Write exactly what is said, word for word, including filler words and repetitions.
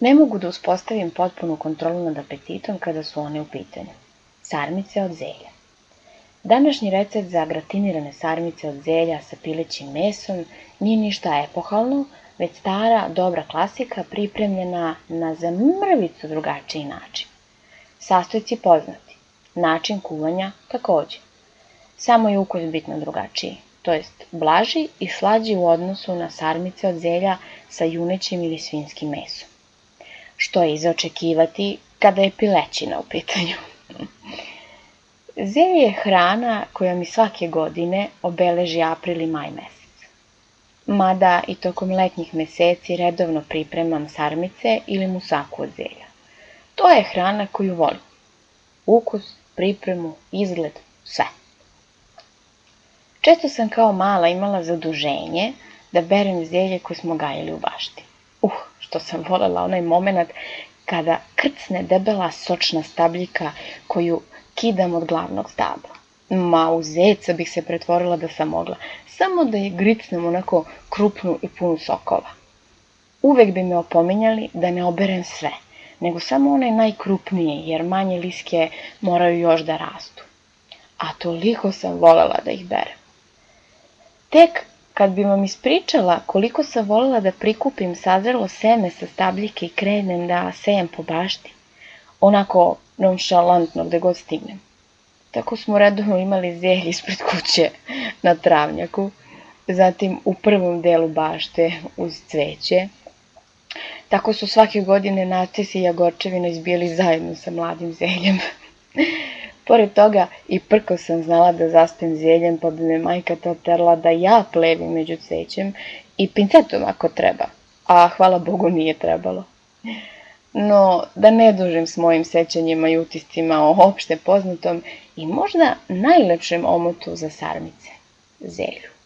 Ne mogu da uspostavim potpunu kontrolu nad apetitom kada su one u pitanju. Sarmice od zelja. Današnji recept za gratinirane sarmice od zelja sa pilećim mesom nije ništa epohalno, već stara, dobra klasika pripremljena na za mrvicu drugačiji način. Sastojci poznati, način kuvanja takođe. Samo je ukus bitno drugačiji, to jest blaži i slađi u odnosu na sarmice od zelja sa junećim ili svinjskim mesom. Što je i za očekivati kada je pilećina u pitanju. Zelje je hrana koja mi svake godine obeleži april i maj mesec. Mada i tokom letnjih meseci redovno pripremam sarmice ili musaku od zelja. To je hrana koju volim. Ukus, pripremu, izgled, sve. Često sam kao mala imala zaduženje da berem zelje koje smo gajili u bašti. Uh, što sam volela onaj moment kada krcne debela sočna stabljika koju kidam od glavnog stabla. Ma, u zeca bih se pretvorila da sam mogla, samo da je gricnem onako krupnu i punu sokova. Uvek bi me opominjali da ne oberem sve, nego samo one najkrupnije, jer manje liske moraju još da rastu. A toliko sam volela da ih berem. Tek kad bi vam ispričala koliko sam volela da prikupim sazrelo seme sa stabljike i krenem da sejem po bašti, onako nonšalantno gde god stignem. Tako smo redovno imali zelje ispred kuće na travnjaku, zatim u prvom delu bašte uz cveće. Tako su svake godine narcisi i jagorčevina izbijali zajedno sa mladim zeljem. Pored toga i prko sam znala da zaspem zeljem, pa bi me majka to terala da ja plevim među cvećem i pincetom ako treba, a hvala Bogu nije trebalo. No, da ne dužim s mojim sećanjima i utiscima o opšte poznatom i možda najlepšem omotu za sarmice, zelju.